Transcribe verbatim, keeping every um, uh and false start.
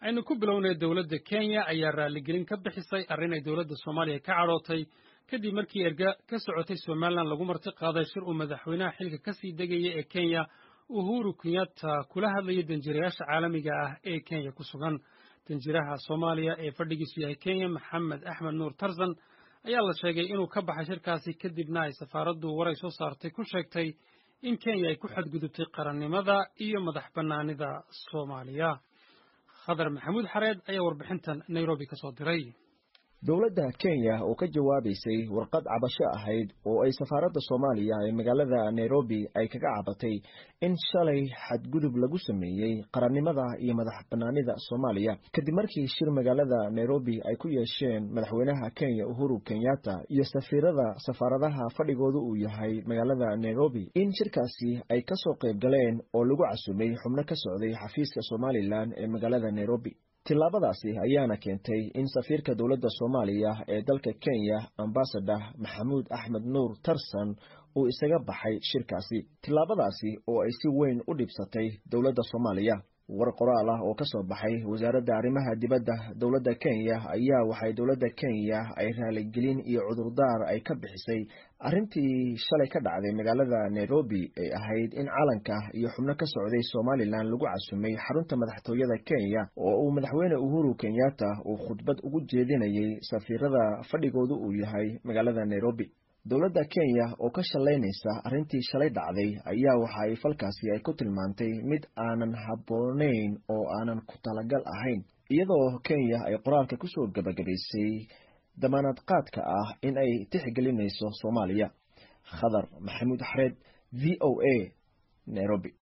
Aynu ku bilownay, dowladda Kenya ayaa raaligelin ka bixisay arrin ay dowladda Soomaaliya ka cadhootay, kadib markii erga ka socotay Somalilan lagu marti qaaday shir uu madaxweynaha xilka ka sii degaya ee Kenya, Uhuru Kenyatta, kula hadlayay danjirayaasha caalamiga ah ee Kenya ku sugan. Danjiraha Soomaaliya ee fadhigiisu yahay Kenya, Maxamed Axmed Nuur Tarzan, ayaa la sheegay inuu ka baxay shirkaasi, kadibna ay safaaraddu war ay soo saartay ku sheegtay in Kenya ay ku xadgudubtay qarannimada iyo madax bannaanida Soomaaliya. Khadar Maxamuud Xareed ayaa warbixintan Nairobi ka soo diray. Dowladda Kenya oo ka jawaabaysay warqad cabasho ahayd oo ay safaaradda Soomaaliya ee magaalada Nairobi ay kaga cabatay in shalay xadgudub lagu sameeyey qarannimada iyo madax bannaanida Soomaaliya, kadib markii shir magaalada Nairobi ay ku yeesheen madaxweynaha Kenya Uhuru Kenyatta iyo safiirada safaaradaha fadhigoodu uu yahay magaalada Nairobi, in shirkaasi ay kasoo qayb galeen oo lagu casumay xubno ka socday xafiiska Somalilan ee magaalada Nairobi. Tillaabadaasi ayaana keentay in safiirka dowladda Soomaaliya ee dalka Kenya, Ambasador Maxamuud Axmed Nuur Tarsan, uu isaga baxay shirkaasi, tillaabadaasi oo ay si weyn u dhibsatay dowladda Soomaaliya. War qoraal ah oo ka soo baxay wasaaradda arrimaha dibadda dowladda Kenya ayaa waxay dowladda Kenya ay raaligelin iyo cudurdaar ay ka bixisay arrintii shalay ka dhacday magaalada Nairobi ay ahayd in calanka iyo xubno ka socday Somalilan lagu casumay xarunta madaxtooyada Kenya oo uu madaxweyne Uhuru Kenyatta uu khudbad ugu jeedinayay safiirada fadhigoodu uu yahay magaalada Nairobi. Dowladda Kenya oo ka shalaynaysa arrintii shalay dhacday ayaa waxa ay falkaasi ay ku tilmaantay mid aanan habboonayn oo aanan ku talagal ahayn, iyadoo Kenya ay qoraalka kusoo gabagabaysay damaanad qaadka ah in ay tixgelinayso Soomaaliya. Khadar Maxamuud Xareed, V O A, Nairobi.